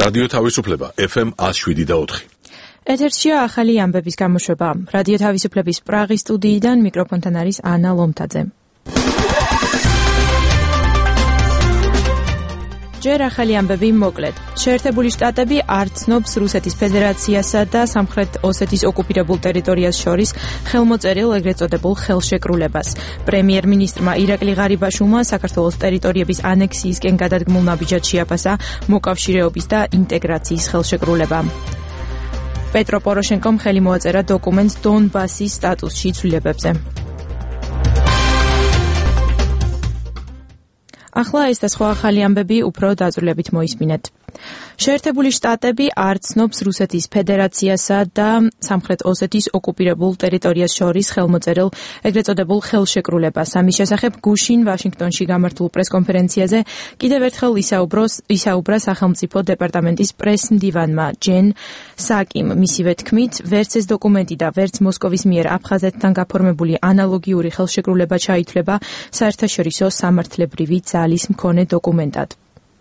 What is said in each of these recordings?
რადიო თავისუფლება FM 107.4. ეთერშია ახალი ამბების გამოშვება. რადიო თავისუფლების პრაღის სტუდიიდან მიკროფონთან არის ანა ლომთაძე. ჯერ ახალი ამბები მოკლედ. შეერთებული შტატები არ ცნობს რუსეთის ფედერაციასა და სამხრეთ ოსეთის ოკუპირებულ ტერიტორიას შორის ხელმოწერილ ეგრეთ წოდებულ ხელშეკრულებას. პრემიერ-მინისტრმა ირაკლი ღარიბაშვილმა საქართველოს ტერიტორიების ანექსიისკენ გადადგმულ ნაბიჯად შეაფასა მოკავშირეობის და ინტეგრაციის ხელშეკრულება. პეტრო პოროშენკომ ხელი მოაწერა დოკუმენტს დონბასის სტატუსში ცვლილებებზე. ახლა ეს და სხვა ახალი ამბები უფრო დაწვრილებით მოისმინეთ. შეერთებული შტატები არ ცნობს რუსეთის ფედერაციასა და სამხრეთ ოსეთის ოკუპირებულ ტერიტორიას შორის ხელმოწერილ ეგრეთ წოდებულ ხელშეკრულებას. ამის შესახებ გუშინ ვაშინგტონში გამართულ პრესკონფერენციაზე კიდევ ერთხელ ისაუბრა სახელმწიფო დეპარტამენტის პრეს-მდივანმა ჯენ საკიმ. მისივე თქმით, ვერც ეს დოკუმენტი და ვერც მოსკოვის მიერ აფხაზეთთან გაფორმებული ანალოგიური ხელშეკრულება ჩაითვლება საერთაშორისო სამართლებრივი ძალის მქონე დოკუმენტად.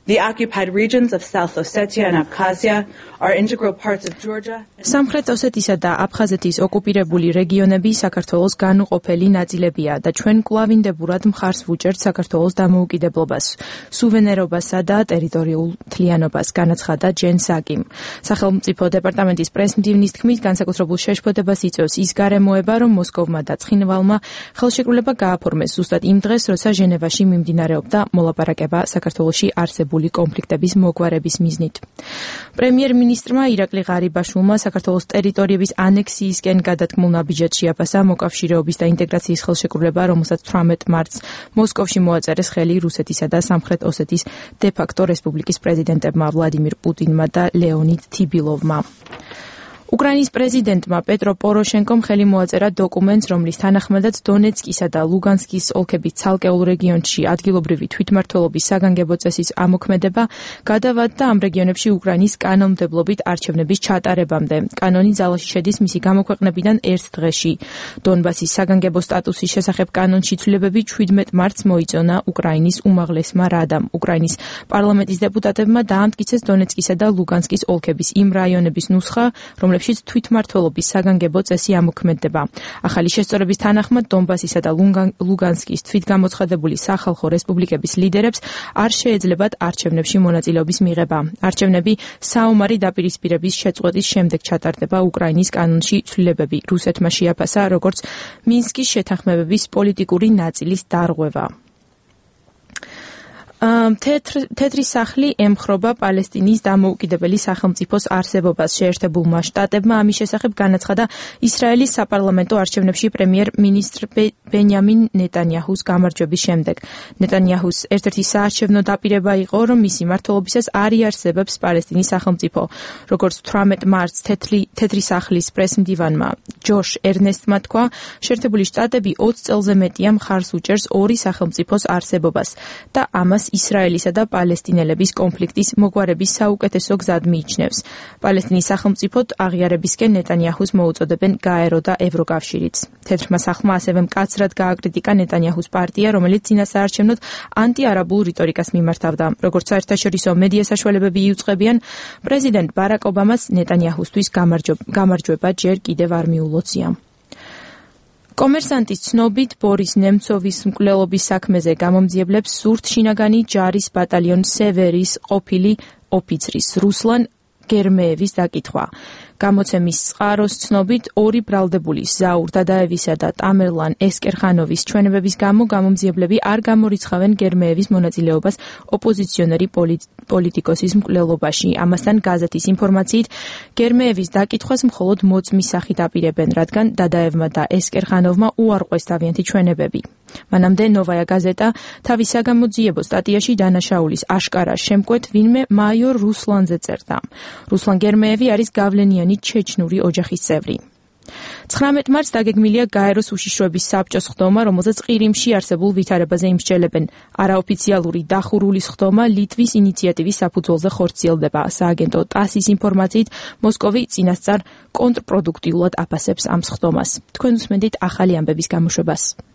The occupied regions of South Ossetia and Abkhazia are integral parts of Georgia. სამხრეთ ოსეთისა და აფხაზეთის ოკუპირებული რეგიონები საქართველოს განუყოფელი ნაწილებია და ჩვენ კვლავინდებურად მხარს ვუჭერთ საქართველოს დამოუკიდებლობას, სუვერენობასა და ტერიტორიულ მთლიანობას, განაცხადა ჯენ საკიმ. სახელმწიფო დეპარტამენტის პრეს-მდივნის თქმით, განსაკუთრებულ შეშფოთებას იწვევს ის გარემოება, რომ მოსკოვმა და ცხინვალმა ხელშეკრულება გააფორმეს ზუსტად იმ დღეს, როცა ჟენევაში მიმდინარეობდა მოლაპარაკება საქართველოში არსებული კონფლიქტების მოგვარების მიზნით. პრემიერ-მინისტრმა ირაკლი ღარიბაშვილმა საქართველოს ტერიტორიების ანექსიისკენ გადადგმულ ნაბიჯად შეაფასა მოკავშირეობის და ინტეგრაციის ხელშეკრულება, რომელსაც 18 მარტს მოსკოვში მოაწერეს ხელი რუსეთისა და სამხრეთ ოსეთის დე-ფაქტო რესპუბლიკის პრეზიდენტებმა ვლადიმირ პუტინმა და ლეონიდ თიბილოვმა. უკრაინის პრეზიდენტმა პეტრო პოროშენკომ ხელი მოაწერა დოკუმენტს, რომლის თანახმადაც დონეცკისა და ლუგანსკის ოლქების ცალკეულ რეგიონში ადგილობრივი თვითმმართველობის საგანგებო წესის ამოქმედება გადავადდა ამ რეგიონებში უკრაინის კანონმდებლობით არჩევნების ჩატარებამდე. კანონი ძალაში შედის მისი გამოქვეყნებიდან ერთ დღეში. დონბასის საგანგებო სტატუსის შესახებ კანონში ცვლილებები 17 მარტს მოიწონა უკრაინის უმაღლესმა რადამ. უკრაინის პარლამენტის დეპუტატებმა დაამტკიცეს დონეცკისა და ლუგანსკის ოლქების იმ რაიონების ნუსხა, რომლებშიც თვითმმართველობის საგანგებო წესი ამოქმედდება. ახალი შესწორების თანახმად დონბასისა და ლუგანსკის თვითგამოცხადებული სახალხო რესპუბლიკების ლიდერებს არ შეეძლებათ არჩევნებში მონაწილეობის მიღება. არჩევნები საომარი დაპირისპირების შეწყვეტის შემდეგ ჩატარდება. უკრაინის კანონში ცვლილებები რუსეთმა შეაფასა როგორც მინსკის შეთანხმებების პოლიტიკური ნაწილის დარღვევა. თეთრი სახლი ემხრობა პალესტინის დამოუკიდებელი სახელმწიფოს არსებობას. შეერთებულმა შტატებმა ამის შესახებ განაცხადა ისრაელის საპარლამენტო არჩევნებში პრემიერ-მინისტრ ბენიამინ ნეტანიაჰუს გამარჯვების შემდეგ. ნეტანიაჰუს ერთ-ერთი საარჩევნო დაპირება იყო, რომ მისი მმართველობისას არ იარსებებს პალესტინის სახელმწიფო. როგორც 18 მარტს თეთრი სახლის პრეს-მდივანმა ჯოშ ერნესტმა თქვა, შეერთებული შტატები 20 წელზე მეტია მხარს უჭერს ორი სახელმწიფოს არსებობას და ამას ისრაელისა და პალესტინელების კონფლიქტის მოგვარების საუკეთესო გზად მიიჩნევს. პალესტინის სახელმწიფოდ აღიარებისკენ ნეტანიაჰუს მოუწოდებენ გაერო და ევროკავშირიც. თეთრმა სახლმა ასევე მკაცრად გააკრიტიკა ნეტანიაჰუს პარტია, რომელიც წინასაარჩევნოდ ანტიარაბულ რიტორიკას მიმართავდა. როგორც საერთაშორისო მედია საშუალებები იუწყებიან, პრეზიდენტ ბარაკ ობამას ნეტანიაჰუსთვის გამარჯვება ჯერ კიდევ არ მიულოცია. კომერსანტის ცნობით ბორის ნემცოვის მკვლელობის საქმეზე გამომძიებლებს სურთ შინაგანი ჯარის ბატალიონ სევერის ყოფილი ოფიცრის რუსლან გერმეევის დაკითხვა. გამოცემის წყაროს ცნობით ორი ბრალდებული ზაურ დადაევისა და ტამერლან ესკერხანოვის ჩვენებების გამო გამომძიებლები არ გამორიცხავენ გერმეევის მონაწილეობას ოპოზიციონერი პოლიტიკოსის მკვლელობაში. ამასთან გაზეთის ინფორმაციით გერმეევის დაკითხვას მხოლოდ მოწმის სახით აპირებენ, რადგან დადაევმა და ესკერხანოვმა უარყვეს თავიანთი ჩვენებები. მანამდე ნოვაია გაზეტა თავის საგამოძიებო სტატიაში დანაშაულის აშკარა შემკვეთ ვინმე მაიორ რუსლანზე წერდა. რუსლან გერმეევი არის გავლენიანი ჩეჩნური ოჯახის წევრი. 19 მარტს დაგეგმილია გაეროს უშიშროების საბჭოს ხდომა, რომელზეც ყირიმში არსებულ ვითარებაზე იმსჯელებენ. არაოფიციალური დახურულის ხდომა ლიტვის ინიციატივის საფუძველზე ხორციელდება. სააგენტო ტასის ინფორმაციით, მოსკოვი წინასწარ კონტრპროდუქტიულად აფასებს ამ ხდომას. თქვენ უსმენთ ახალი ამბების გამოშვებას.